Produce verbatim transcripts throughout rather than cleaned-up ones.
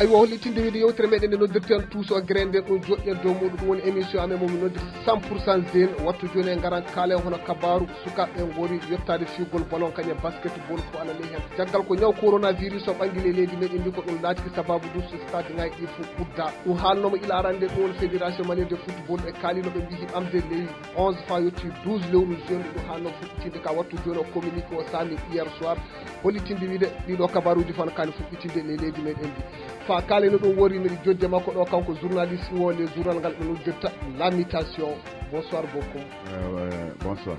Eywa, hollitinde wiide yewtere meɗen nde noddirten Tuuso Gere, nden ɗum joɗɗen dow muɗum, ɗum woni émission amen mo min noddirta cent pour cent jeune. Wattu joni e ngaran kaalen hono kabaru sukaɓe ngori yottade fiyugol ballon kañum e basketball ko ana ley hen. Caggal ko ñaw coronavirus o ɓangi ley leydi meɗen ndi, ko ɗum laatiki sababu dus stade ngaji ɗi fof udda. Ɗum haalnoma ila arande ɗum woni fédération malienne de football e kaalino ɓe mbiyi amde ley onze fa yotti douze lewru juin ɗum haalno fuɗɗitinde ka wattu joni o communiqué o sami hier soir. Hollitinde wiide ɗiɗo kabaruji fof no kaani fuɗɗitinde ley leydi meɗen ndi. Fa kaalino ɗum wori miɗo jodde makko ɗo, kanko journaliste o le journal ngal ɓe noddirta La Mutation. Bonsoir beaucoup. Euh, bonsoir.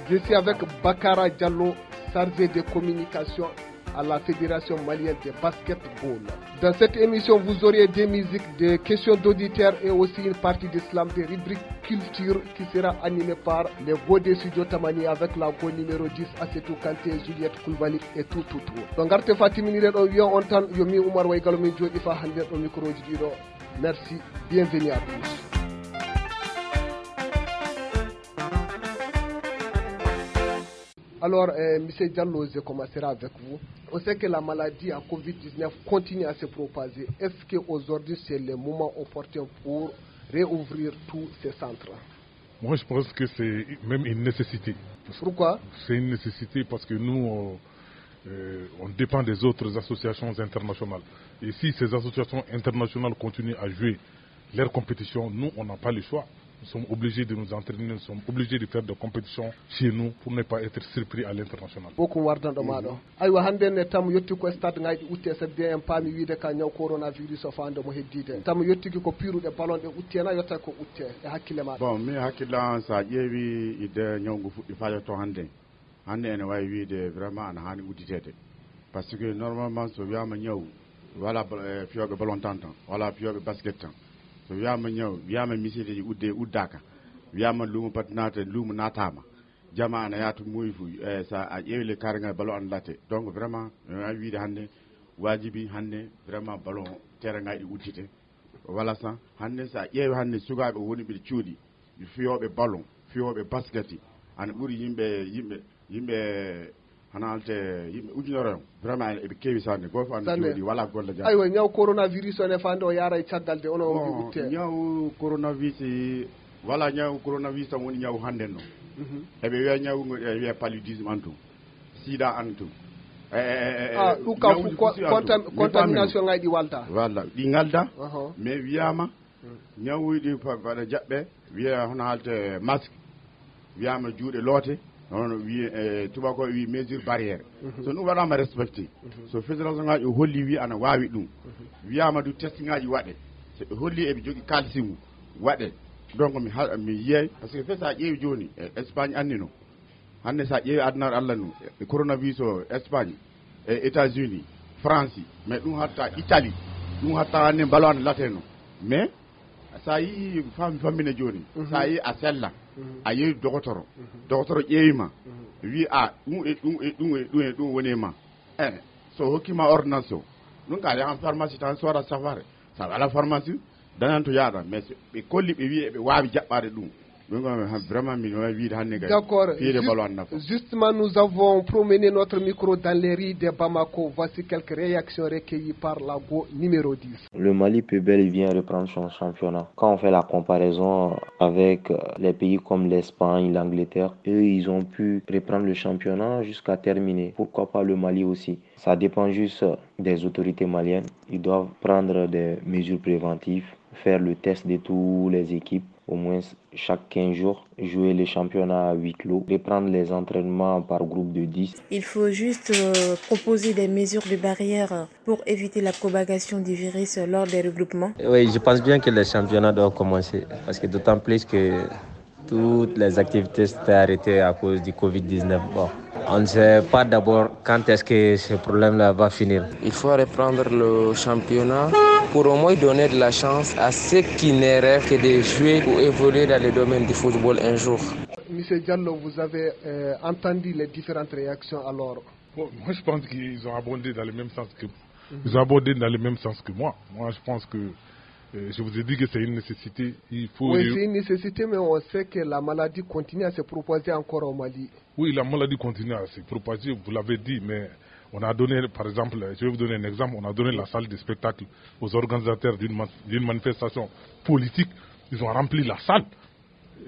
Je suis avec Bakara Diallo, chargé de communication à la Fédération malienne de basketball. Dans cette émission, vous aurez des musiques, des questions d'auditeurs et aussi une partie de slam, des rubriques culture qui sera animée par les gars de Studio Tamani avec la go numéro dix, Assetou Kanté, Juliette Koulibaly et tout, tout, tout. Donc, arte Fatimini Redo, yo on tan, yo mi Oumar Waygalo, min jodi fa hande ɗo micro ji ɗiɗo. Merci, bienvenue à tous. Alors, euh, monsieur Diallo, je commencerai avec vous. On sait que la maladie à covid dix-neuf continue à se propager. Est-ce qu'aujourd'hui, c'est le moment opportun pour réouvrir tous ces centres? Moi, je pense que c'est même une nécessité. Pourquoi? C'est une nécessité parce que nous, on, euh, on dépend des autres associations internationales. Et si ces associations internationales continuent à jouer leur compétition, nous, on n'a pas le choix. Nous sommes obligés de nous entraîner, nous sommes obligés de faire des compétitions chez nous pour ne pas être surpris à l'international. Bokum wardanɗo ma ɗo. Aywa, hannde ne tam yotti ko stade ngaji utte, c'est bien, en paami wiide ka ñaw coronavirus o faande mo heddide. Tam yottiki ko piiruɗe ballon ɗe utte na yotta ko utte e hakkille ma? Bon, mi hakkillan, sa ƴeewi idde ñaw ngu fuɗɗi fa yetto hannde. Hannde ene wawi wiide vraiment ana hani udditede. Parce que normalement so wiyama ñaw, wala ba- eh, fiyoɓe ballon tan tan, wala fiyoɓe basket tan. So wiyama ñaw, wiyama misideji udde uddaka, wiyama luumo pat naata, luumo naatama, jama ana yaata moyi fu. Eh, sa a ƴeewi le carré ngal ballon ana latte. Donc vraiment mi wawi wiide hannde wajibi hannde vraiment ballon terrain ngaji ɗi uddite. Wala sa hannde sa ƴeewi hannde sukaɓe woni ɓe cuuɗi, fiyoɓe ballon, fiyoɓe basket, ana ɓuri yimɓe yimɓe yimɓe hana halte yimɓe ujunere on. Vraiment eɓe keewi sanne, goto fof ana jooɗi wala golle jam. Aywa, ñaw coronavirus o ne fande o yaara e caggal de ono o wi utte. Ñaw coronavirus wala ñaw coronavirus tan woni ñaw hannde no. Eɓe wiya ñaw ngo e wiya paludisme en tout. Sida en tout. Ah, ɗum kam fof contamination ngaji ɗi walda. Walla ɗi ngalda. Mais wiyama ñawuji ɗi mbaɗa jaɓɓe, wiya hono haalte masque, wiyama juuɗe loote, hono wi e tubako wi mesure barrière. So ɗum waɗama respecté, so fédération ngaji o holli wi ana wawi ɗum, wiyama du test ngaji waɗe, so ɓe holli eɓe jogui kalsimu waɗe. Donc mi ha- mi yiyay parce que fe sa ƴeewi joni e Espagne annino. Hannde so a ƴeewi adunaaru Allah ndu, e coronavirus o Espagne, e États-Unis, France, mais ɗum hatta Italie, ɗum hatta hannde mbalo ana lateno. Mais so a yii fami fammine jooni, so a yii a sella, a yeewi dogotoro, dogotoro ƴeewi ma, wi a ɗum e ɗum e ɗum e ɗum e ɗum woni e ma. E so hokkima ordonnance o, ɗum ka yahan pharmacie tan soda safare. Sa wala pharmacie dañan to yaaɗa, mais ɓe kolli ɓe wi eɓe wawi jaɓɓade ɗum. Ɗum ɗon han vraiment min wawi wiide hannde kay. D'accord. Fiire balo an nafa. Justement, nous avons promené notre micro dans les rues de Bamako. Voici quelques réactions recueillies par la go numéro dix. Le Mali peut bel et bien reprendre son championnat. Quand on fait la comparaison avec euh, les pays comme l'Espagne, l'Angleterre, eux, ils ont pu reprendre le championnat jusqu'à terminer. Pourquoi pas le Mali aussi? Ça dépend juste des autorités maliennes. Ils doivent prendre des mesures préventives, faire le test de toutes les équipes, au moins chaque quinze jours, jouer les championnats à huis clos, reprendre les entraînements par groupe de dix. Il faut juste euh, proposer des mesures de barrière pour éviter la propagation du virus lors des regroupements. Oui, je pense bien que les championnats doivent commencer parce que d'autant plus que toutes les activités sont arrêtées à cause du covid dix-neuf. Bon, on ne sait pas d'abord quand est-ce que ce problème-là va finir. Il faut reprendre le championnat pour au moins donner de la chance à ceux qui ne rêvent que de jouer ou évoluer dans le domaine du football un jour. Monsieur Diallo, vous avez euh, entendu les différentes réactions alors. Bon, moi, je pense qu'ils ont abondé dans le même sens que ils ont abondé dans le même sens que moi. Moi, je pense que euh, je vous ai dit que c'est une nécessité. Il faut. Oui, c'est une nécessité, mais on sait que la maladie continue à se propager encore au Mali. Oui, la maladie continue à se propager, vous l'avez dit, mais On a donné, par exemple, je vais vous donner un exemple, on a donné la salle de spectacle aux organisateurs d'une ma- d'une manifestation politique. Ils ont rempli la salle.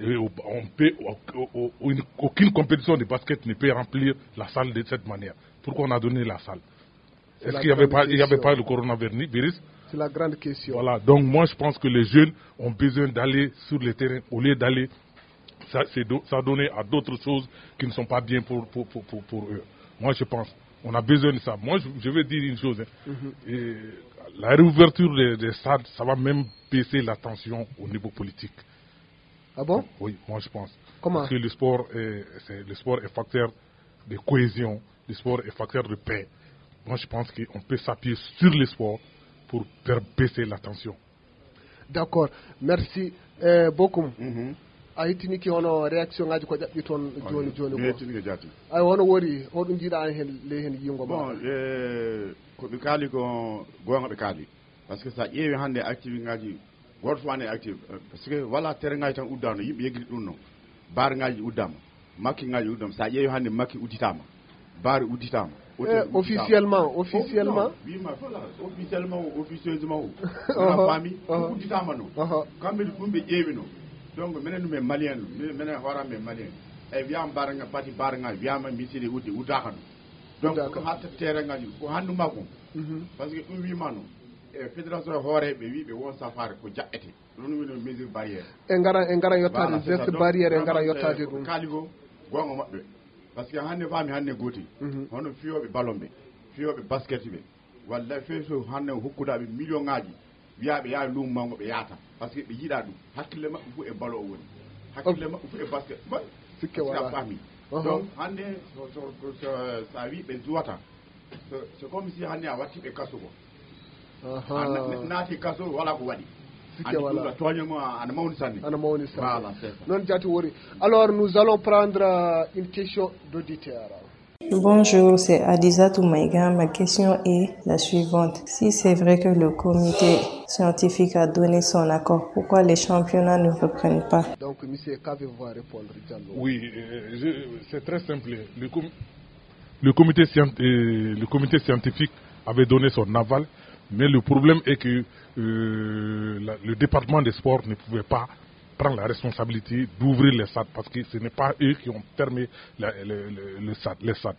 Et on peut, au- au- au- une- aucune compétition de basket ne peut remplir la salle de cette manière. Pourquoi on a donné la salle? Est-ce qu'il n'y avait pas, il y avait pas le coronavirus? C'est la grande question. Voilà, donc moi je pense que les jeunes ont besoin d'aller sur le terrain au lieu d'aller s'a- c'est do- s'adonner à d'autres choses qui ne sont pas bien pour, pour, pour, pour- pour eux. Moi je pense, on a besoin de ça. Moi je, je vais dire une chose, hein. Et la réouverture des, des stades, ça va même baisser la tension au niveau politique. Ah bon? Oui, moi je pense. Comment? Parce que le sport est, c'est- le sport est facteur de cohésion, le sport est facteur de paix. Moi je pense qu'on peut s'appuyer sur le sport pour faire baisser la tension. D'accord, merci eh, beaucoup. A hettinike hono réaction ngaji ko ƴaɓɓi toon jooni jooni ko. Mi hettinike jaati. Ay, hono wori, hoɗum njiɗa heen, ley heen yiingo ma? Bon, eh, ko ɓe kaali ko goonga ɓe kaali. Parce que so a ƴeewi hannde active ngaji, gooto fof ane active. Eh, parce que wala terrain ngaji tan uddano, yimɓe yeggiti ɗum no. Bar ngaji uddama, makki ngaji uddama. So a ƴeewi hannde makki udditama, bar udditama. Eh, officiellement, officiellement. Wima fof la, officiellement o, officieusement o. Wona faami, ɗum udditama no. Kamɓe ɗum ɓe ƴeewi no. Donc minen ɗum e malien, minen hoorama e malien. E wiyama bar nga, pati bar nga, wiyama misiri uddi, uddaka no. Donc ko hatta terrain ngaji ko hannduma ko. Parce que ɗum wima no. E fédération hooreɓe wi ɓe won safare ko jaɓɓete. Ɗum woni mesure barrière. E ngara, e ngara yottaade geste barrière, e ngara yottaade ɗum. Kaali ko goonga maɓɓe. Parce que hannde faami hannde gooti. Hono fiyooɓe ballon ɓe, fiyooɓe basket ɓe, walla fee so hannde hokkuɗaaɓe million ngaji, wiyaaɓe yaha luumo mango ɓe yaata. Parce que ɓe yiɗa ɗum. Hakkille maɓɓe fof e ballon o woni. Hakkille maɓɓe fof e basket. Sikke wala. Faami. Donc hannde so, so, so, so a wi ɓe juwata, c'est comme si hannde a watti ɓe kaso ko. Naati kaso wala ko waɗi. Sikke wala. Tooñe mo ana mawni sanne. Ana mawni sanne. Noon jaati wori. Alors nous allons prendre euh, une question d'auditeur. Bonjour, c'est Adizatou Maïga. Ma question est la suivante. Si c'est vrai que le comité scientifique a donné son accord, pourquoi les championnats ne reprennent pas? Donc, monsieur, qu'avez-vous à répondre, Diallo? Oui, euh, c'est très simple. Le, com le, comité, euh, le comité scientifique avait donné son aval, mais le problème est que euh, la, le département des sports ne pouvait pas prendre la responsabilité d'ouvrir les stades parce que ce n'est pas eux qui ont fermé la, le, le, le stade, les stades.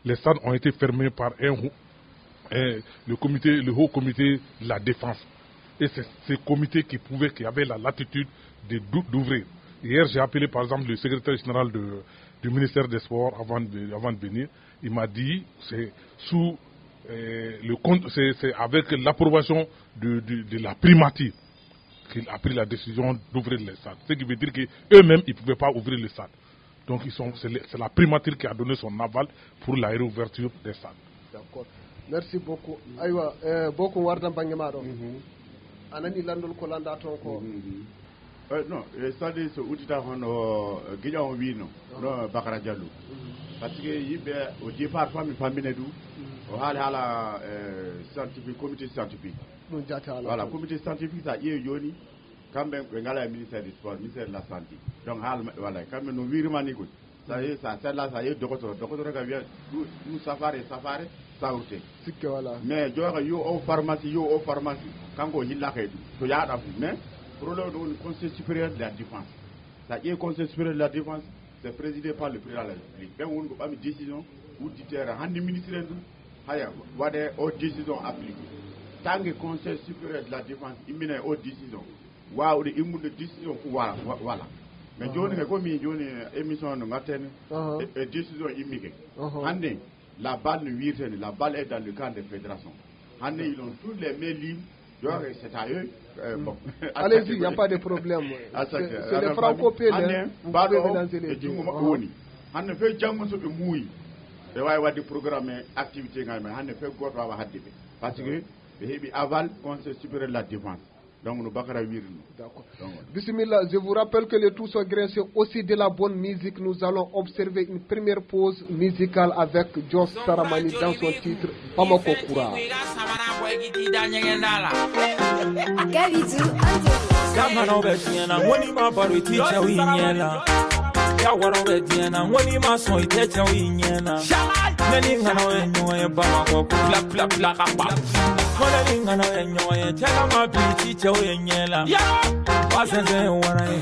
Les stades ont été fermés par un, un, le, comité, le haut comité de la défense. Et c'est ce comité qui pouvait, qui avait la latitude d'ouvrir. Hier, j'ai appelé par exemple le secrétaire général de, du ministère des Sports avant de, avant de venir. Il m'a dit c'est sous euh, le c'est avec l'approbation de, de, de la primature qu'il a pris la décision d'ouvrir les stades. Ce qui veut dire qu'eux-mêmes, ils ne pouvaient pas ouvrir le stade. Donc ils sont, c'est la primature qui a donné son aval pour la réouverture des stades. D'accord. Merci beaucoup. Aywa, eh, beaucoup wardan bange maɗo. A nani landol ko landa toon ko. Eh, non, eh, stade so uddita hono eh, giƴa on wino no Bakara Diallo. Parce que yimɓe au départ fami famine du o haali haala eh, scientifique, comité scientifique. Ɗum jaati haala. Voilà, comité scientifique sa ƴeewi joni. Kamɓe ɓe ngala e ministère du sport, ministère de la santé. Donc haala maɓɓe wala kamɓe no wirima ni ko. Sa yehi sa sella sa yehi docteur, docteur ka wiya ɗum safare safare sawrte. Sikke wala. Mais joga yo o pharmacie, yo o pharmacie, kanko o yillaka e ɗum to yaɗa fof. Mais problème ɗo woni conseil supérieur de la défense. Sa ƴeewi conseil supérieur de la défense, c'est présidé par le président de la république. Ɓen woni ko ɓami décision udditere hannde ministre en ɗum. Haya waɗe o décision appliqué. Tangue conseil supérieur de la défense immina e o décision. Wawde immude décision fof wala. Mais joni he komi joni émission no gatteni e décision immike. Hande la balle no wirteni, la balle est dans le camp de fédération. Hande ils ont tous les mains libres. Donc c'est à eux. Euh, bon. Allez-y, il n'y a pas de problème. C'est les franco-pédés. Hande baɗo o e jungo maɓɓe woni. Hande fe janngo so ɓe muuyi ɓe wawi wadde programme e activité ngal men. Hande fe goto wawa hadde ɓe parce que ɓe heeɓi aval conseil supérieur de la défense. Donc no Bakara wirno. D'accord. Bismillah, je vous rappelle que le tout se graisse aussi de la bonne musique. Nous allons observer une première pause musicale avec Joss Saramani dans son titre Bamako Kura. Kamano be tiɲɛna, ŋoni ma baro i ti cɛw i ɲɛ la. Yawaro be tiɲɛna, ŋoni ma sɔn i tɛ cɛw i ɲɛ la. Ne ni ŋana ye ɲɔgɔn ye Bamakɔ, ko bla, bla, bla, ka ba. Ko ne ni ŋana ye ɲɔgɔn ye, cɛ ka ma bi ci cɛw ye ɲɛ la. Ya! Ba sɛnsɛn ye wara ye.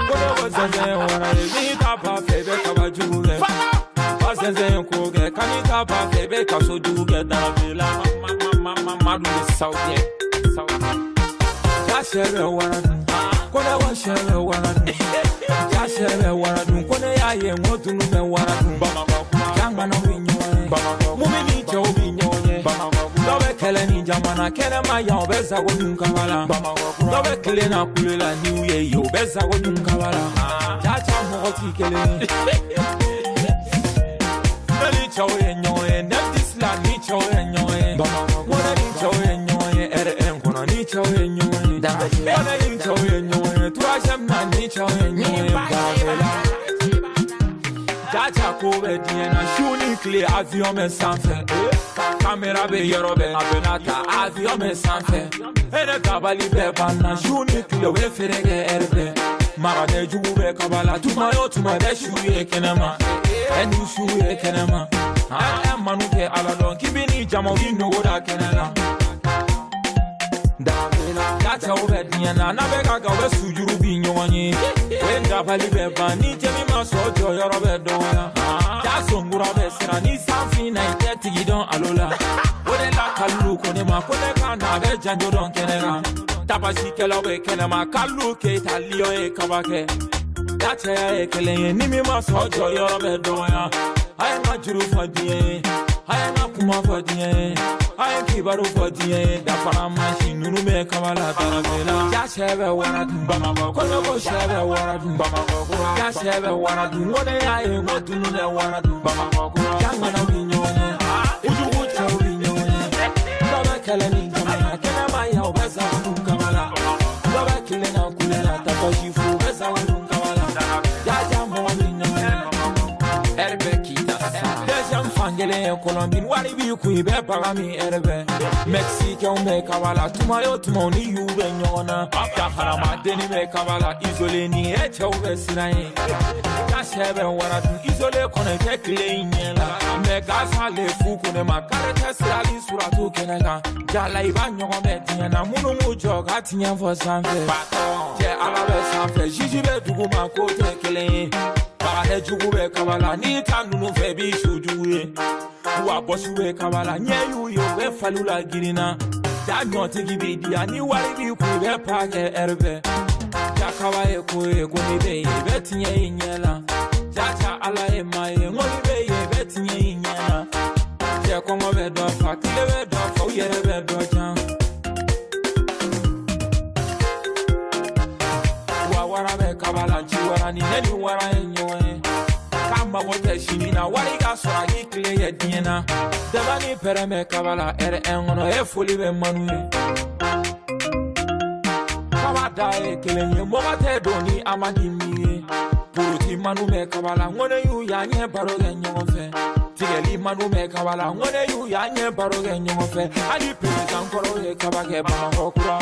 Ko ne ko sɛnsɛn ye wara ye. N'i ta ba fɛ, i bɛ kaba jugu kɛ. Ba sɛnsɛn ye ko kɛ. Ka n'i ta ba fɛ, i bɛ kaso jugu kɛ. Darabe la, ma, ma, ma, ma, ma, ma, du ye saw kɛ. Saw kɛ. Jaa sɛ bɛ wara dun. Ko ne ko sɛ bɛ wara dun. Jaa sɛ bɛ wara dun. Ko ne y'a ye, n ko dunun bɛ wara dun. Bamakɔ kura. Jaa ŋana bɛ ɲɔgɔn ye. Bamakɔ. Mumini cɛw bɛ ɲɔgɔn ye. Bamakɔ kura. Dɔ bɛ kɛlɛ ni jamana kɛnɛma yan, o bɛ sago dun kaba la. Bamakɔ kura. Dɔ bɛ tile na kule la ni u ye yen, o bɛ sago dun kaba la. Jaa, jaa, mɔgɔ t'i kelen ye. Mali cɛw ye ɲɔgɔn ye, Neftis la ni cɛw ye ɲɔgɔn ye. Bamakɔ. Mɔnɛ ni cɛw ye ɲɔgɔn ye, R N kɔnɔ ni cɛw ye ɲɔgɔn ye. Mɔnɛ ni cɛw ye ɲɔgɔn ye, troisième na ni cɛw ye ɲɔgɔn ye. Bamakɔ. Jaa, jaa, ko bɛ diɲɛ na, su ni tile, avion bɛ sanfɛ. Caméra bɛ yɔrɔ bɛɛ, a bɛ na ta, avion bɛ sanfɛ. Hɛrɛ dabali bɛ ban na, su ni tile, u bɛ feere kɛ heure bɛɛ. Maratɛ jugu bɛ kaba la, tuma o tuma, i bɛ su ye kɛnɛma. Ɛ, ni su ye kɛnɛma. Ɛ, ɛ, manu tɛ Ala dɔn, k'i bɛ ni jama, u b'i nogo da kɛnɛ la. Dabila, jaa cɛw bɛ diɲɛ na, n'a bɛ ka kan, u bɛ sujuru bi ɲɔgɔn ye. O ye dabali bɛ ban, ni jɛmi ma sɔn, jɔyɔrɔ bɛ dɔgɔya. Jaa sɔnkura bɛ siran, ni san fin na, i tɛ tigi dɔn alo la. O de la, Kalilu ko ne ma, ko ne ka na, a bɛ janjo dɔn kɛnɛ kan. Tabasikɛlaw bɛ kɛnɛma, Kalilu Keyita, Lion ye kaba kɛ. Jaa cɛya ye kelen ye, ni min ma sɔn, jɔyɔrɔ bɛ dɔgɔya. A ye n ka juru fɔ diɲɛ ye, a ye n ka kuma fɔ diɲɛ ye, a ye n kibaru fɔ diɲɛ ye. Dafara mansin ninnu bɛ kaba la, Darabela. Jaa sɛ bɛ wara dun, Bamakɔ. Ko ne ko sɛ bɛ wara dun, Bamakɔ kura. Jaa sɛ bɛ wara dun, ko ne y'a ye, n ko tunu bɛ wara dun, Bamakɔ kura. Jaa ŋana bɛ ɲɔgɔn ye, kojugu cɛw bɛ ɲɔgɔn ye. Dɔ bɛ kɛlɛ ni jamana kɛnɛma yan, u bɛ sa dun kaba la. Dɔ bɛ tile na kule la, tatɔsi fu, u bɛ sa dun kaba la. Jaa, jaa, mɔgɔ bɛ ɲɔgɔn ye. Hɛrɛ bɛ k'i ta sa. Deuxième fankelen ye Colombie, wari b'i kun, i bɛ baga min, hɛrɛ bɛ. Mexicain bɛ kaba la, tuma o tuma, u ni y'u bɛ ɲɔgɔn na. Ka hadamadennin bɛ kaba la, isolé ni e cɛw bɛ siran ye. Ka sɛ bɛ wara dun, isolé kɔnɔ, i tɛ tile i ɲɛ la. Mais Gaza le fu ko ne ma, kare tɛ sirali suratu kɛnɛ kan. Jala, i b'a ɲɔgɔn bɛɛ tiɲɛ na, minnu b'u jɔ ka tiɲɛ fɔ sanfɛ. Patron, cɛ, Ala bɛ sanfɛ, juge bɛ duguma, ko tɛ kelen ye. Baganɛ jugu bɛ kaba la, n'i ta ninnu fɛ, i b'i su jugu ye. Wa bɔsu bɛ kaba la, ɲɛ y'u ye, u bɛ faliw la girinna. Da ɲɔtigi b'i di yan, ni wari b'i kun, i bɛ pa kɛ hɛrɛ bɛɛ. Ja kaba ye ko ye, ko ni bɛ yen, i bɛ tiɲɛ i ɲɛ la. Ja ja Ala ye maa ye, ŋɔni bɛ yen, i bɛ tiɲɛ i ɲɛ la. Cɛ kɔngɔ bɛ dɔ fa, tile bɛ dɔ fa, u yɛrɛ bɛ dɔ jan. Wa wara bɛ kaba la, ci wara ni ne ni wara ye ɲɔgɔn ye. K'a mago tɛ sini na, wari ka sɔrɔ a k'i tile kɛ diɲɛ na. Daba ni pɛrɛn bɛ kaba la, R N kɔnɔ, e foli bɛ Manu ye. Kaba da ye kelen ye, mɔgɔ tɛ don ni a ma di min ye. Poroti Manu bɛ kaba la, ŋɔni y'u y'a ɲɛ baro kɛ ɲɔgɔn fɛ. Tigɛli Manu bɛ kaba la, ŋɔni y'u y'a ɲɛ baro kɛ ɲɔgɔn fɛ. Hali président kɔrɔ ye kaba kɛ Bamakɔ kura.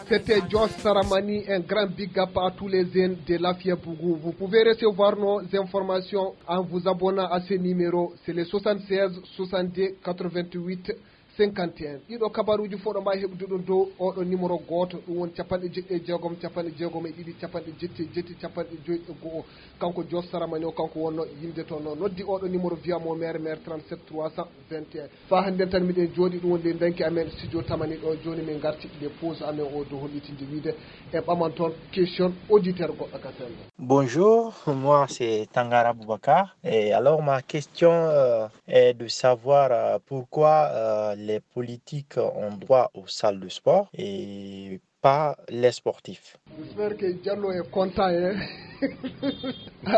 C'était Joss Saramani, un grand big up à tous les jeunes de Lafia Bougou. Vous pouvez recevoir nos informations en vous abonnant à ce numéro. C'est le soixante-seize soixante-deux quatre-vingt-huit cinquante et un. Ɗiɗo kabaruuji fof ɗo mbaawi heɓdude ɗum dow oɗo numéro gooto, ɗum woni capanɗe jeɗɗi e jeegom, capanɗe jeegom e ɗiɗi, capanɗe jetti e jetti, capanɗe joyi e go'o. Kanko Joss Saramani o, kanko wonno yimde toon, o noddi oɗo numéro, via mo maire, maire trente-sept trois cent vingt et un. Faa hannden tan miɗen jooɗii, ɗum woni ley danki amen studio Tamani ɗo. Jooni min ngarti les pause amen o dow hollitinde wiide en ɓaman toon question auditeur goɗɗo ka senngo. Bonjour, moi c'est Tangara Boubacar. Et alors ma question euh, est de savoir euh, pourquoi euh, les politiques ont droit aux salles de sport et pas les sportifs. J'espère que Diallo est content, hein.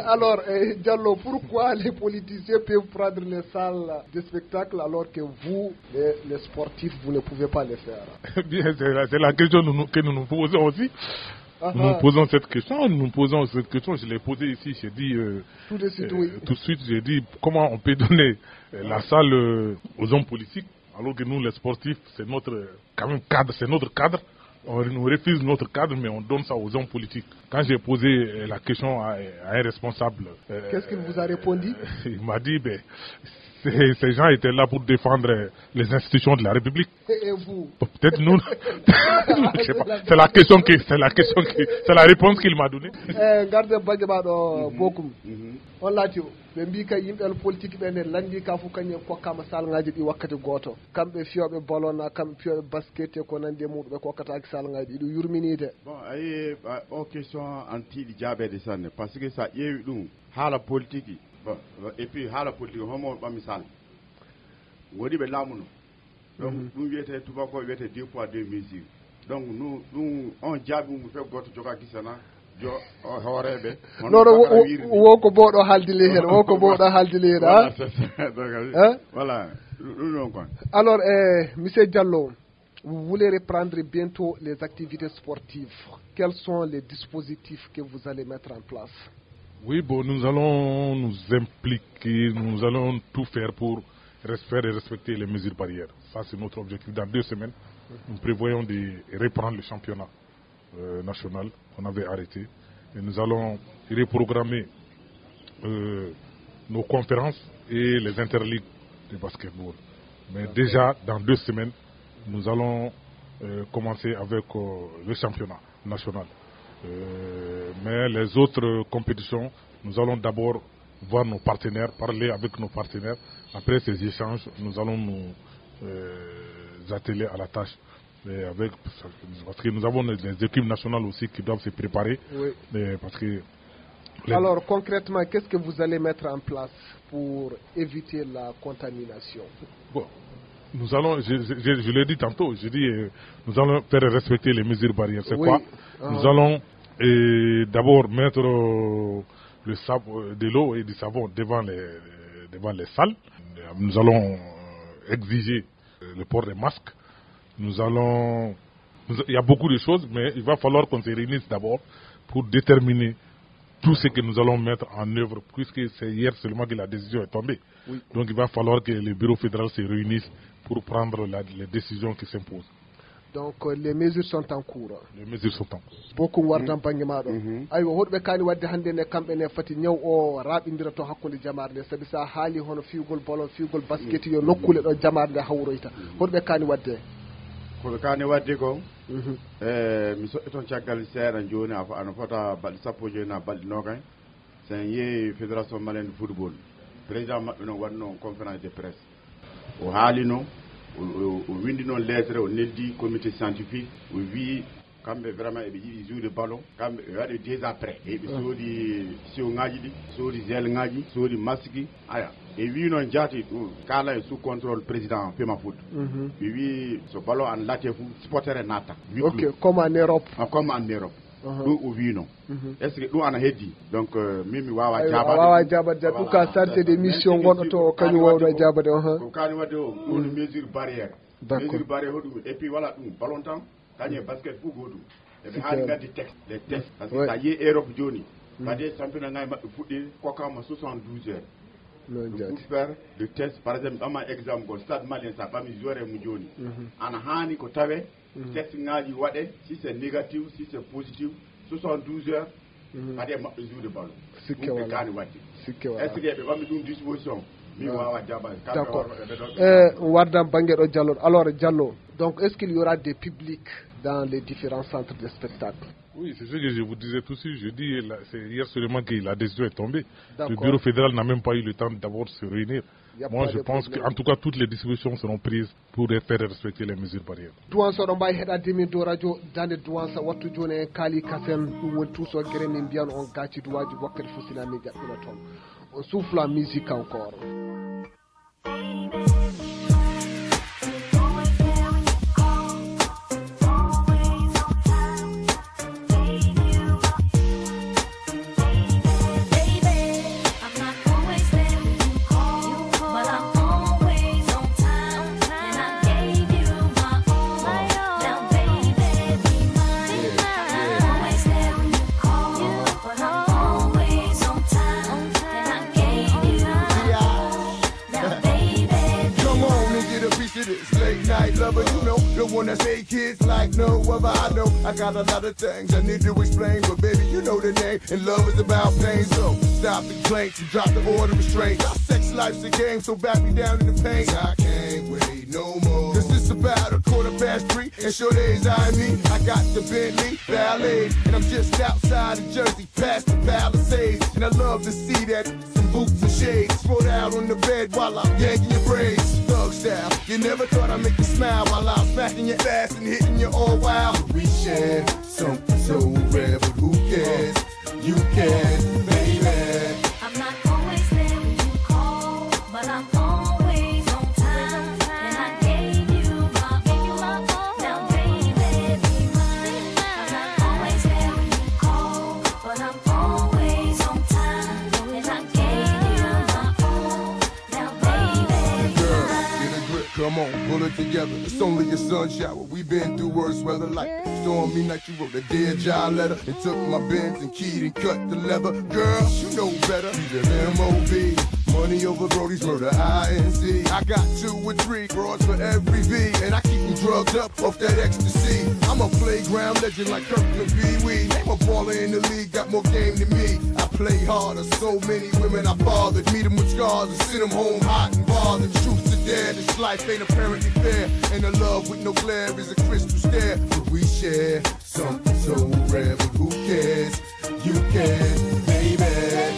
Alors, euh, Diallo, pourquoi les politiciens peuvent prendre les salles de spectacle alors que vous, les, les sportifs, vous ne pouvez pas les faire? Bien, c'est la, c'est la question nous, nous- que nous nous posons aussi. Ah, nous nous ah. Posons cette question, nous nous posons cette question, je l'ai posée ici, j'ai dit euh, Tout de suite, euh, oui. Tout de suite, j'ai dit comment on peut donner euh, la salle euh, aux hommes politiques, alors que nous, les sportifs, c'est notre euh, quand même cadre, c'est notre cadre. On nous refuse notre cadre, mais on donne ça aux hommes politiques. Quand j'ai posé euh, la question à, à un responsable, euh, Qu'est-ce qu'il vous a répondu ? Il m'a dit, ben, ces, ces gens étaient là pour défendre les institutions de la République. Et vous ? Peut-être nous. Je sais pas. C'est la question qui, c'est la question qui, c'est la réponse qu'il m'a donnée. Eh, ngarden bannge ma ɗo bokum. On laati o. Ɓe mbii kay yimɓe politique ɓe ne lanndi ka fof kañum en kokkaama salngaaji ɗi wakkati gooto. Kamɓe fiyooɓe ballon na, kamɓe fiyooɓe basket e ko nanndi e muɗum ɓe kokkataaki salngaaji ɗi. Ɗum yurminiide. Bon, ayi, o question an tiiɗi jaabeede sanne, parce que so a ƴeewi ɗum, haala politique, bon, et puis haala politique homo ɓami sal woni ɓe laamuno. Donc ɗum wiyetee tubako wiyetee deux poids deux mesures. Donc nous ɗum on jaabi mum fe gooto joga gisana jo hooreeɓe. Non, non, wo ko booɗo haaldili heen, wo ko booɗo haaldili heen. Voilà, ɗum ɗon kon. Alors eh, monsieur Diallo, vous voulez reprendre bientôt les activités sportives. Quels sont les dispositifs que vous allez mettre en place ? Oui, bon, nous allons nous impliquer, nous allons tout faire pour faire et respecter les mesures barrières. Ça, c'est notre objectif. Dans deux semaines, nous prévoyons de reprendre le championnat euh, national qu'on avait arrêté. Et nous allons reprogrammer euh, nos conférences et les interligues de basketball. Mais déjà, dans deux semaines, nous allons euh, commencer avec euh, le championnat national. Euh, mais les autres compétitions, nous allons d'abord voir nos partenaires, parler avec nos partenaires. Après ces échanges, nous allons nous euh, atteler à la tâche. Et avec, parce que nous avons des équipes nationales aussi qui doivent se préparer. Oui. Et parce que Alors concrètement, qu'est-ce que vous allez mettre en place pour éviter la contamination ? Bon, nous allons, je, je, je l'ai dit tantôt, je dis, euh, nous allons faire respecter les mesures barrières. C'est Oui. Quoi Ah. Nous allons euh, d'abord mettre euh, le sab- euh, de l'eau et du savon devant les, devant les salles. Nous allons euh, exiger euh, le port des masques. Nous allons, nous- il y a beaucoup de choses, mais il va falloir qu'on se réunisse d'abord pour déterminer tout ce que nous allons mettre en œuvre, puisque c'est hier seulement que la décision est tombée. Donc il va falloir que le bureau fédéral se réunisse pour prendre la- les décisions qui s'imposent. Donc euh, les mesures sont en cours. Les mesures sont en cours. Bokum wardan bannge maa ɗo. Aywa, hoɗɓe kaani waɗde hannde ne kamɓe ne fati ñaw o raaɓindira to hakkunde jamaare nde, sabi so a haali hono fiyugol ballon, fiyugol basket yo nokkuule ɗo jamaare nde hawroyta. Hoɗɓe kaani waɗde? Ko ɓe kaani waɗde ko e mi soɓɓi toon caggal seeɗa jooni, a fo- ano fota balɗe sappo e joyi na balɗe noogay. So en yehi fédération malienne de football, président maɓɓe noon waɗno on conférence de presse. O haalino, o- o o winndi noon lettre, o neldi comité scientifique, o wii kamɓe vraiment eɓe yiɗi jouer ballon, kamɓe ɓe waɗi déjà prêt, eɓe soodi siwŋaaji ɗi, soodi gel ŋaaji, soodi masque. Aya, e wii noon jaati ɗum kala e sous contrôle président Fema Foot. Ɓe wii so ballon an laate fof supporter e natta. Ok, comme en Europe. Ah, comme en Europe. Ɗum o wiino. Est-ce que ɗum ana heddi? Donc euh, min mi wawa Aywa, a jabade. Wawa jabade jabade. Ɗum ka chargé de mission gonɗo to kañum wawno jabade. Aha. Ko kani wadde o ɗum mesure barrière. D'accord. Mesure barrière hoɗum? Et puis voilà, ɗum ballon tan kañum e basket fof goɗum. Eɓe haani ngaddi texte, les textes, parce que sa yehi Europe jooni, kadi championnat ngaji maɓɓe fuɗɗi kokkama soixante-douze heures. Ɗum pour faire le test. Par exemple, ɓama exemple gol, stade malien, sa ɓami joueur e mo jooni, ana haani ko tawe test ngaji waɗe, si c'est négatif, si c'est positif, soixante-douze heures, kadi e maɓɓe jouer de ballon. Sikke wala. Ɗum ɓe kaani waɗde. Sikke wala. Est-ce que ɓe ɓammi ɗum disposition? Min wawa jabade. D'accord. Eh, wardan banggue ɗo Diallo. Alors Diallo, donc est-ce qu'il y aura des publics dans les différents centres de spectacle? Oui, c'est ce que je vous disais tout de suite. Je dis, là, c'est hier seulement que la décision est tombée. Le bureau fédéral n'a même pas eu le temps d'abord de se réunir. Moi, je pense qu'en tout cas, toutes les dispositions seront prises pour faire respecter les mesures barrières. Duwansa oɗon mbawi heɗade min dow radio dande duwansa wattu joni en kaali kasen ɗum woni tuuso guere min mbiyan on gaci duwaji wakkati fof sina min jaɓɓina toon on souffle en musique encore. Come on and get a piece of this late night lover, you know the Wanna say kids like no other. I know I got a lot of things I need to explain, but baby, you know the name. And love is about pain, so stop the complaints and drop the order of restraints. Our sex life's a game, so back me down in the pain. I can't wait no more. Cause it's about a quarter past three, and sure days I mean, I got the Bentley Ballet, and I'm just outside of Jersey, past the Palisades, and I love to see that. Some boots and shades, rolled out on the bed while I'm yanking your braids. Thug style, you never thought I'd make you smile while I'm smacking your ass and hitting you all wild. We share something so rare, but who cares? You can, baby. I'm not always there when you call, but I'm always on time. And I gave you my all. Now, baby, be mine. I'm not always there when you call, but I'm always on time. And I gave you my all. Now, baby, be mine. Girl, get a grip, come on, pull it together. It's only your sun shower. We've been through worse weather like stormy night. You wrote a dear John letter and took my Benz and keyed and cut the leather. Girl, you know better. Leave it M O B. Money over Brody's murder, I N C. I got two or three bras for every V, and I keep them drugged up off that ecstasy. I'm a playground legend like Kirkland Pee Wee. Name a baller in the league, got more game than me. I play harder, so many women I bothered. Meet 'em with scars and send 'em home hot and bothered. Truth to dare, this life ain't apparently fair. And a love with no glare is a crystal stare. But we share something so rare, but who cares? You can, baby.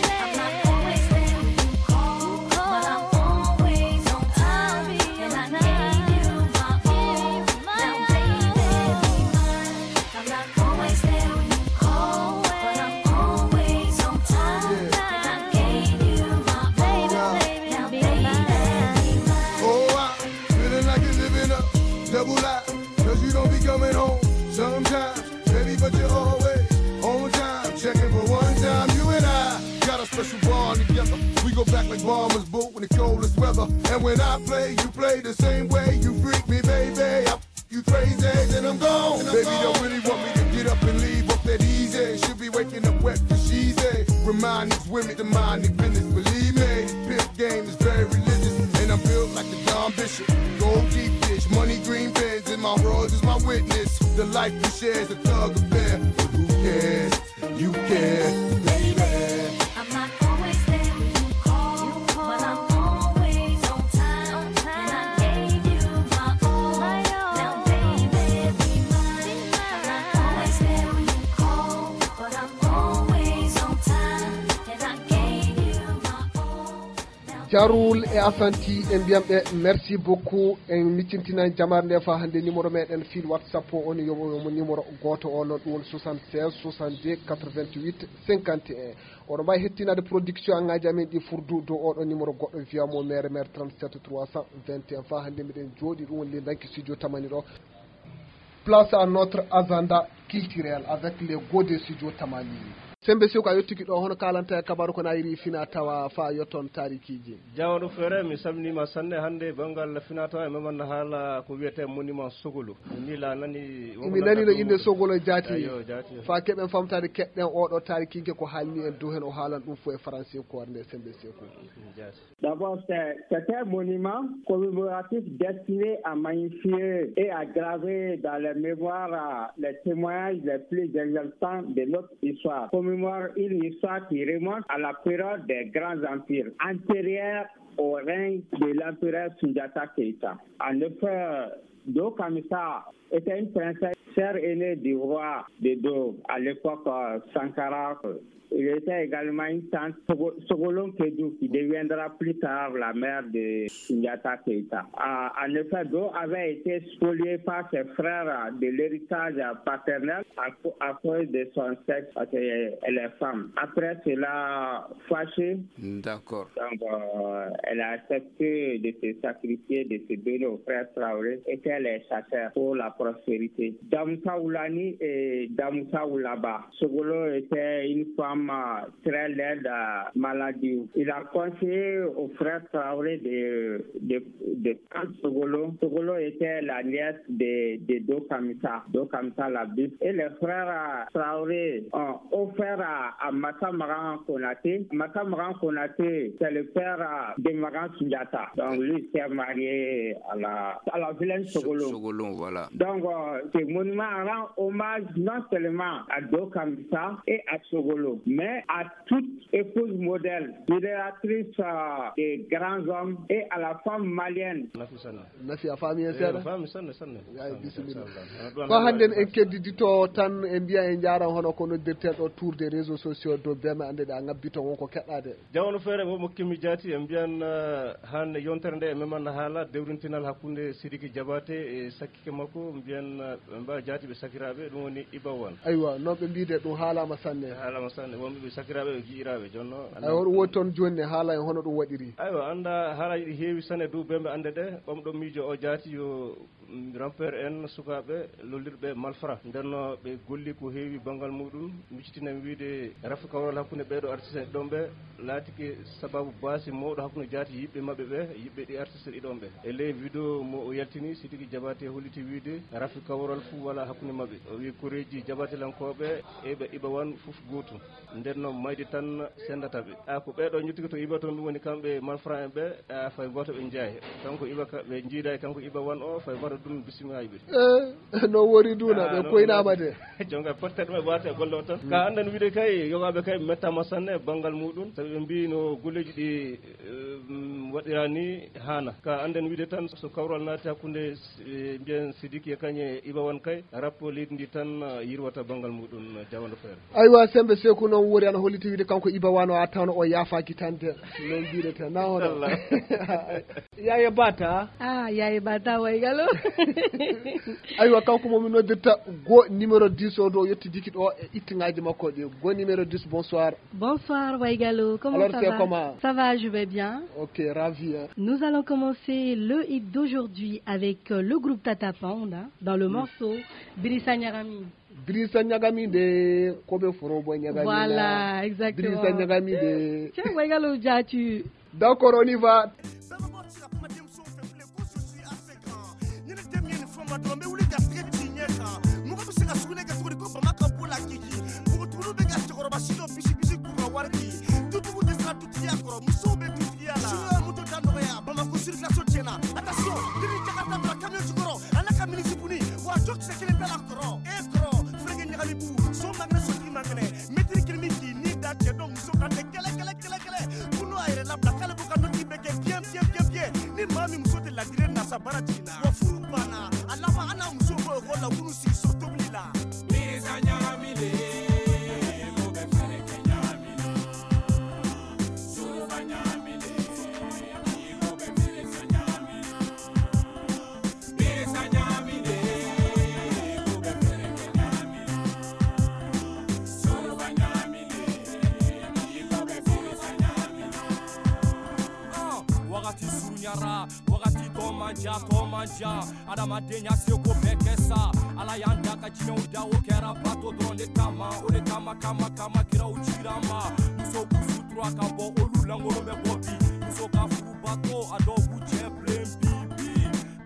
I'm not always there when you call, but I'm always on time. And I gave you my all. Now, baby, be mine. I'm not always there when you call, but I'm always on time. And I gave you my all. Now, baby, be mine. Oh, I'm feeling like you're living up, double life, cause you don't be coming home sometimes. Baby, but you're always on time. Checking for one time. You and I got a special bond together. We go back like Bombers boot when the coldest weather. And when I play, you play the same way. You freak me, baby. I f- you crazy, then I'm gone. Baby, don't really want me to get up and leave up that easy. Should be waking up wet for she's a. Remind these women to mind their business. Believe me, pimp game is very religious. And I'm built like a Don Bishop. Gold deep dish, money green bins, and my Royals is my witness. The life we share is a thug affair, but who cares? You care, baby. I'm not always there when you call, but I'm always on time. And I gave you my all. Now, baby, be mine. I'm not always there when you call, but I'm always on time. And I gave you my all. Jarul e Asanti, en mbiyam ɓe merci beaucoup. En miccintinan jamaare nde fa hannde. Numéro meɗen fil WhatsApp o on, yomo yomo numéro gooto o noon, ɗum woni soixante-seize soixante-deux quatre-vingt-huit cinquante et un. Oɗo mbawi hettinaade production angaji amen ɗi furdu dow oɗo numéro, goɗɗo via mo mere mere trente-sept trois cent vingt et un. Fa hannde miɗen jooɗi ɗum woni le danki studio tamani ɗo. Place à notre agenda culturel avec les gode studio tamani. Sembe Seku, a yettiki ɗo, hono kalanta e kabaru ko nayri fina tawa fa yotton tarikiji? Jawɗo Fere, mi salminima sanne. Hannde banngal fina tawa e memanna haala ko wiyete monument Sogolo. Ni la nani. Mi nani no inde Sogolo jaati. Ayo, jaati. Fa keɓen famtade keɗɗen oɗo tarikinke ko haalni en dow hen, o haalan ɗum fof e français ko warnde Sembe Seku. Jaati. D'abord, c'est c'est un monument commémoratif destiné à magnifier et à graver dans les mémoires, euh, les témoignages les plus exaltants de notre histoire. Commémore une histoire qui remonte à la période des grands empires, antérieure au règne de l'empereur Sundiata Keita. En effet, Do Kamisa était une princesse, sœur aînée du roi de Do, à l'époque, euh, Sankara. Il était également une tante Sogo- Sogolon Kedou, qui deviendra plus tard la mère de Sundiata Keita. Euh, en effet, Do avait été spoliée par ses frères de l'héritage paternel à, co- à cause de son sexe, parce qu'elle est femme. Après cela, fâchée, D'accord. Donc, euh, elle a accepté de se sacrifier, de se donner aux frères Traoré et qu'elle est chasseur pour la prospérité. Damoussa Oulani et Damoussa Oulaba. Sogolo était une femme Très laide, euh, maladive. Il a conseillé au frère Traoré de, de, de prendre Sogolo. Sogolo était la nièce de, de Dokamisa, Dokamisa la bif. Et les frères, euh, Traoré ont offert à, à Massa Maran Konaté. Massa Maran Konaté, c'est le père, euh, de Maran Sundiata. Donc lui s'est marié à la, à la vilaine Sogolo. Sogolo, voilà. Donc, euh, ce monument rend hommage non seulement à Dokamisa et à Sogolo, mais à toute épouse modèle, génératrice, euh, des grands hommes et à la femme malienne. Nafi a faami en seeɗa? Faami sanne, sanne. Ay, bisimilla. Ko hannden en keddidito tan, en mbiya en njaaran hono ko noddirten ɗo tour des réseaux sociaux dow beme annde ɗe a ŋabbi ton won ko keɗɗaade. Jawano feere mo mokkimi jaati, en mbiyan, eh, hannde yontere nde e meman haala dewrintinal hakkunde Sidiki Jabaate e sakkike makko, mbiyan, eh, ɓe mbaa jaati ɓe sakiraaɓe, ɗum woni Iba Wan. Aywa, non ɓe mbiide ɗum haalaama sanne. Haalaama sanne, wonɓe ɓe sakiraaɓe, ɓe gi'iraaɓe, jonno. Aywa, ɗum woni toon jooni ne haala en hono ɗum waɗiri. Aywa, annda haalaaji ɗi heewi sanne dow bembe annde ɗe, ɓamɗo miijo o jaati yo, mm, rampeer en, sukaaɓe lollirɓe malfra. Nden no ɓe golli ko heewi banngal muɗum, miccitina mi wiide rafi kawral hakkunde ɓeeɗo artiste en ɗon ɓe, laatike sababu baasi mawɗo hakkunde jaati yiɓɓe maɓɓe ɓe, yiɓɓe ɗi artiste ɗi ɗon ɓe. E ley vidéo mo o yaltini, Sidiki Jabaate holliti wiide rafi kawral fuu walaa hakkunde maɓɓe. O wi'i koreeji jabaatelankooɓe e ɓe Iba Wan fof gootum. Nden noon mayde tan sendata ɓe. A ko ɓeeɗo njottike to Iba toon, ɗum woni kamɓe malfra en ɓe, a fay gooto ɓe njeyaay. Kanko Iba ka, ɓe njiidaay kanko Iba Wan o, fay gooto ɗum bismiyaay ɓe. Eh, no wori duna, ah, ɓe no koynaama de. Jonga porte ɗum e waate e golle o tan. Mm. Ka annden wiide kay, yogaaɓe kay mettaama sanne banngal muɗum. Sabi ɓe mbii no golleeji ɗi, eh, mm, waɗiraa ni haana. Ka annden wiide tan so kawral naati hakkunde, eh, mbiyen Sidiki e kañe Iba Wan kay, rappo leydi ndi tan, eh, yirwata banngal muɗum, eh, jawando feere. Aywa, sembe seku noon wori ana holliti wiide kanko Iba Wan o a tawno o yaafaaki tan de. Noon mbiɗete na hono. Inchallah. Yaaye Bata. Ah, Yaaye Bata waygalo. Aywa, kanko mo mi noddirta go numéro dix o ɗo yettidiki ɗo e ittiŋaaji makko ɗi. Go numéro dix, bonsoir. Bonsoir waygalo, comment ça va? Alors, c'est comment? Ça va, je vais bien. Ok, ravi, hein. Nous allons commencer le hit d'aujourd'hui avec, euh, le groupe Tata Pound, hein, dans le morceau Birisa Nyagami. Birisa Nyagami de, ko ɓe forobo Nyagami. Voilà, exactement. Birisa Nyagami de. Tiens, waygalo jaati. D'accord, on y va. Ɲɛnɛ tɛ min fɔ ma dɔrɔn, n bɛ wuli ka tigɛ ci ɲɛ kan. Mɔgɔ bɛ se ka sugunɛ kɛ cogo di ko bama ka bɔ la k'i ci? Npogotigiw bɛ ka cɛkɔrɔba si dɔ bisi bisi k'u ka wari di. Dutigiw tɛ siran dutigiya kɔrɔ, musow bɛ dutigiya la. Suguya moto da nɔgɔya, Bamakɔ circulation tiɲɛna. Attention, ni Jakarta bila camion jukɔrɔ, a n'a ka minisi buni, wa jɔ kisɛ kelen bɛɛ la kɔrɔ. E kɔrɔ, fɛrɛkɛ ɲagami bu, so magɛnɛ, sotigi magɛnɛ, mɛtiri kelen min k'i ni da cɛ dɔ muso kan tɛ kɛlɛ, kɛlɛ, kɛlɛ, kɛlɛ. Kunu a yɛrɛ labila, k'ale b'u ka nɔti bɛɛ kɛ bien, bien, bien, bien. Ni maa min muso tɛ ladire nasa baara jiginna. Wa furu banna. A laban, an n'a muso bɔ ekɔli la, k'u sigi so tobili la. Birisa ɲagaminen, o bɛ fɛɛrɛ kɛ ɲagamina. Suruba ɲagaminen, o bɛ fɛɛrɛ kɛ ɲagamina. Birisa ɲagaminen, o bɛ fɛɛrɛ kɛ ɲagamina. Suruba ɲagaminen, o bɛ fɛɛrɛ kɛ ɲagamina. Ah, wagati surunyara, wagati tɔ man jan, tɔ man jan. Adamadenya seko bɛɛ kɛ sa. Ala y'an da ka jinɛw da, o kɛra bato dɔrɔn de kama. O de kama, kama, kama, kiraw cira ma. Muso k'u sutura ka bɔ, olu lankolon bɛ bɔ bi. Muso ka furu bato, a dɔw b'u cɛ bilen bi, bi,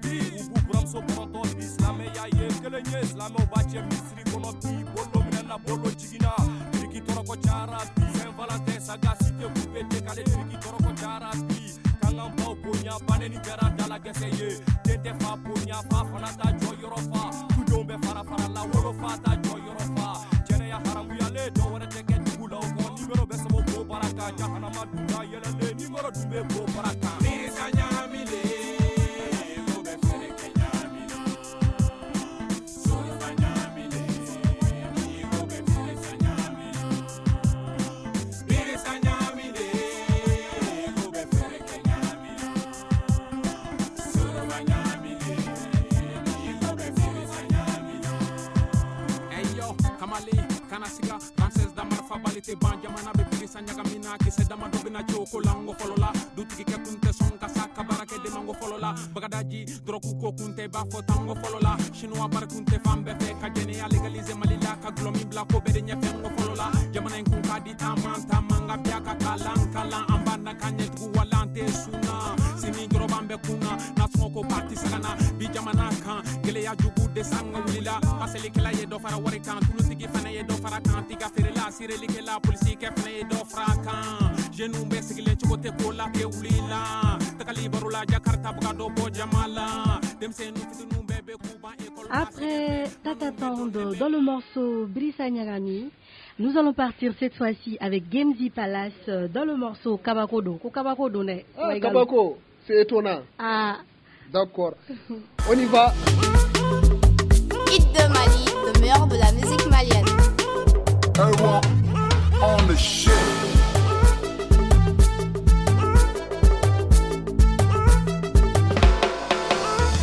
bi. U b'u buramuso kɔrɔtɔ bi. Silamɛya ye kelen ye, silamɛw b'a cɛ misiri kɔnɔ bi. Bolo minɛna, bolo jiginna. Biriki tɔɔrɔ ko cayara bi. Saint Valentin, sagacité, coupé, décalé. Biriki tɔɔrɔ ko cayara bi. Kankanbaw bonya, bannen kɛra dalakɛsɛ ye. Den tɛ fa bonya, fa fana t'a jɔyɔrɔ fa. Dudenw bɛ fara fara la, wolofa t'a jɔyɔrɔ fa. Jɛnɛya haramuyalen, dɔ wɛrɛ tɛ kɛ dugu la o kɔ. Nimero bɛ sɛbɛn ko baraka, jahanama dunda yɛlɛlen. Nimero dun bɛ ko baraka. Birisa ɲagaminen, o bɛ fɛɛrɛ kɛ ɲagamina. Suruba ɲagaminen, o bɛ fɛɛrɛ kɛ ɲagamina. Te ban jamana be pirisa ɲagamina, kisɛ dama dɔ bɛna ci o ko la, n ko fɔlɔ la. Dutigi kɛ kun tɛ sɔn ka sa, ka baara kɛ demango fɔlɔ la. Bagadaji, dɔrɔgu ko kun tɛ, b'a fɔ tango fɔlɔ la. Chinois bari kun tɛ fan bɛɛ fɛ, ka jɛnɛya légaliser Mali la, ka gulɔ min bila ko bɛɛ de ɲɛfɛ, n ko fɔlɔ la. Jamana in kun ka di taama, taama, nka bi a ka kalan, kalan. An b'a na ka ɲɛ tugu, wala an tɛ sun na. Sini dɔrɔn b'an bɛɛ kun na, nasɔngɔ ko ba tɛ se ka na. Bi jamana kan, gɛlɛya jugu de sanga wulila. Paselikɛla ye dɔ fara wari kan, tulutigi fana ye dɔ fara kan. Tiga feerela, sirilikɛla, polisikɛ fana ye dɔ fara kan. Jeunes bɛɛ sigilen cogo tɛ ko la, tɛ wuli la. Tagali baro la, Jakarta bɛ ka dɔ bɔ jama la. Denmisɛnnin fitininw bɛɛ bɛ k'u ban école la. Après Tata Town dans le morceau Brisa Nyagami, nous allons partir cette fois-ci avec Gamesy Palace, euh, dans le morceau Kabako Do. Ko Kabako Do ne? Ah, Kabako, c'est étonnant. Ah. D'accord. On y va. Hit de Mali, le meilleur de la musique malienne. Erwa on the shit.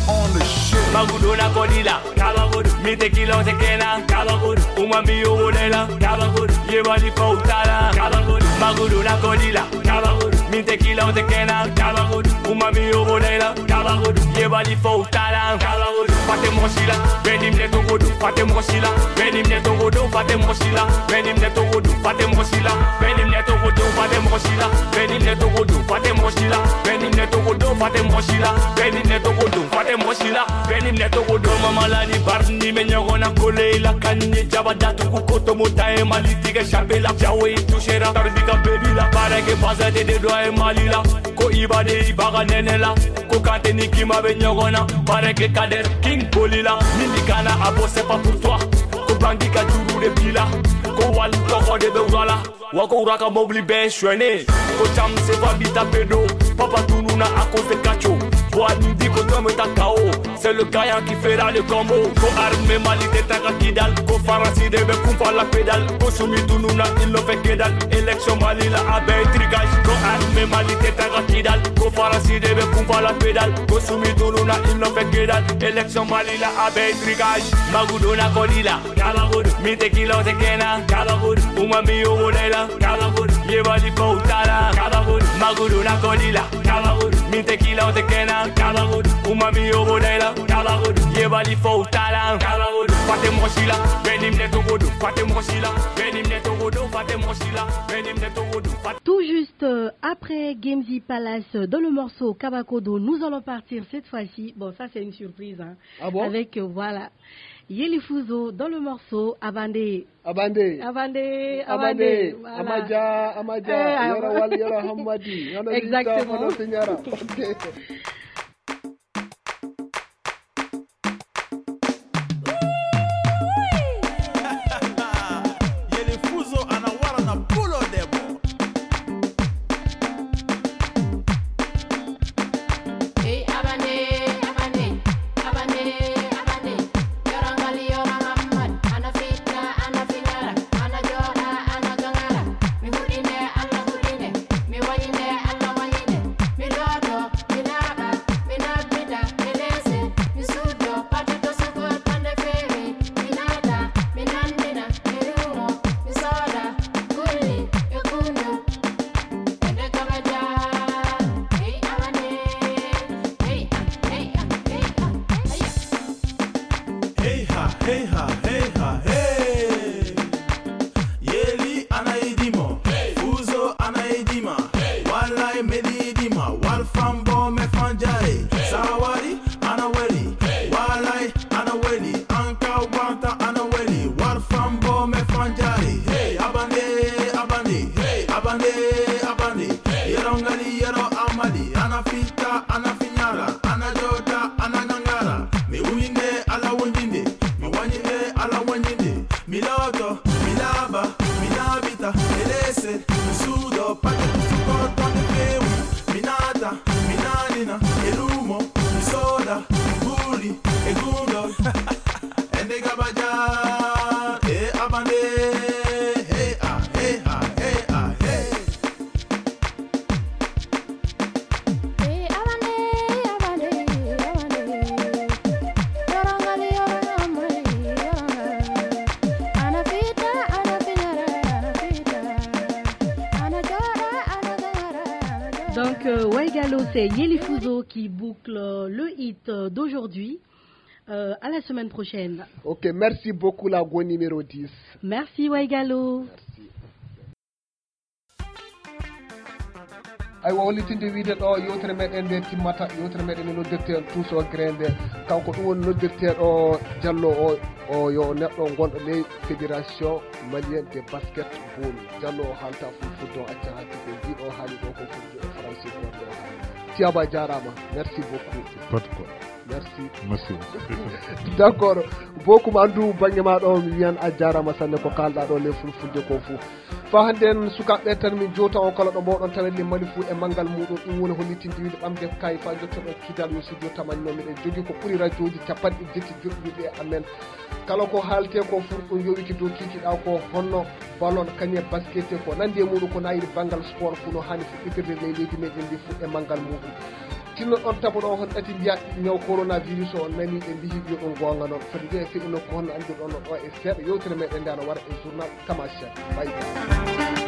On the shit. Magudo na kolila, Kabagodo, mi te kila o te kena, Kabagodo, uma mi yo wolela, Kabagodo, ye bali fa utala, Kabagodo, Magudo na kolila, Kabagodo, mi te kila o te kena, Kabagodo, uma mi yo wolela, Kabagodo, ye bali fa utala, Kabagodo, fate mosila, benim ne togodo, fate mosila, benim ne togodo, fate mosila, benim ne togodo, fate mosila, benim ne togodo, fate mosila, benim ne togodo, fate mosila, benim ne togodo, fate mosila, benim ne togodo, fate mosila. Benim ne togo do mama la ni bar ni me ɲɔgɔn na kole la kan ni jaba datugu ko to mo ta e mali tige chape la jawe tu sera tarbi ka bebi la para ke baza de de do e mali la ko iba de iba ga nene la ko kante ni kima be ɲɔgɔn na para ke kader king boli la mindi kana abo c'est pas pour toi ko bangi ka juru de bila ko wal to ko de be wala Wako uraka mobli ben shwene. Ko cham se va bita pedo. Papa tununa à cause de Kacho. Boa nindi ko tome ta K O. C'est le gaillard qui fera le combo. Ko arme mali te taka kidal. Ko farasi de be kumpa la pédale. Ko sumi tununa il no fait que dalle. Élection mali la abe tricage. Ko arme mali te taka kidal. Ko farasi de be kumpa la pédale. Ko sumi tununa il no fait que dalle. Élection mali la abe tricage. Magudona kolila. Kabagodo, mi te kila o te kena, Kabagodo, uma mi yo wolela, Kabagodo, ye bali fa utala, Kabagodo, Magudo na kolila, Kabagodo, mi te kila o te kena, Kabagodo, uma mi yo wolela, Kabagodo, ye bali fa utala, Kabagodo, fate mosila, benim ne togodo, fate mosila, benim ne togodo, fate mosila, benim ne togodo, fate Tout juste euh, après Gamesy Palace euh, dans le morceau Kabakodo, nous allons partir cette fois-ci. Bon, ça c'est une surprise, hein. Ah bon? Avec, euh, voilà, Yeli Fuzo dans le morceau Abandé. Abandé. Abandé, Abandé. Abandé. Voilà. Amaja, Amaja. Eh, Yara Wal, Yara Hamadi. Exactement. Yeli Fuzo ana wara na pulo debo. Hey ha, hey ha, hey ha, hey. Yeli ana idimo, Fuzo ana idima, Walai medi idima, Wal fambo me fanjai, Sawari ana weli, Walai ana weli, Anka wanta ana weli, Wal fambo me fanjai, hey, Abandé, Abandé, hey, Abandé, Abandé, Yero ngali, Yero amadi, ana fita, ana finyara, ana jota, ana gangara, mi winde, ala wundinde, mi wanyinde, ala wanyinde, mi loto, mi laba, mi labita, elese, mi sudo, pate kusuko, tonde pewu, mi nata, mi nanina, elumo, mi soda, mi guli, egundo, ende gabaja, e Abandé, hey ah, hey ah, hey ah, hey. C'est Yeli Fuzo qui boucle le hit d'aujourd'hui. Euh, à la semaine prochaine. Ok, merci beaucoup, la go numéro dix. Merci, Waigalo. Merci. Aywa, hollitinde wiide ɗo yewtere meɗen nde timmata, yewtere meɗen nde noddirten Tous au Grain nde. Kanko ɗum woni noddirteeɗo Jallo o, o yo neɗɗo gonɗo ley Fédération Malienne de Basketball. Jallo o haalta fulfulde, o acca haalde ko mbiɗo haali ɗo ko fulɓe e français ko ɗo haali. Tiyaba jarama, merci beaucoup. Pas de quoi. Merci. Merci. D'accord. Bokum andu bangge ma ɗo mi wiyan a jarama sanne ko kalɗa ɗo le fulfulde ko fou. Fa hande en sukaɓe tan min jowta on kala ɗo mboɗon tawen le mali fou e mangal muɗum ɗum woni hollitinde wiide ɓamde kay fa jottoɗo kidal yo studio tamani no miɗen jogi ko ɓuri radioji capanɗe jetti joɗɗiɗi e amen. Kala ko haalte ko fuu ɗum yowiti dow kiikiɗa ko honno ballon, kañum e basket ko nandi e muɗum ko nayiri banngal sport fuu no haani fuɗɗitirde ley leydi meɗen ndi fuu e manngal muɗum. Tinno ɗon taboɗo on hon ɗati mbiya ñaw coronavirus o nani ɓe mbihi yo ɗum goonga noon foti nde e feƴi nokku honno anndirɗon no ɗo e seeɗa yewtere meɗen nde ana wara e journal Tamasiel. Bay.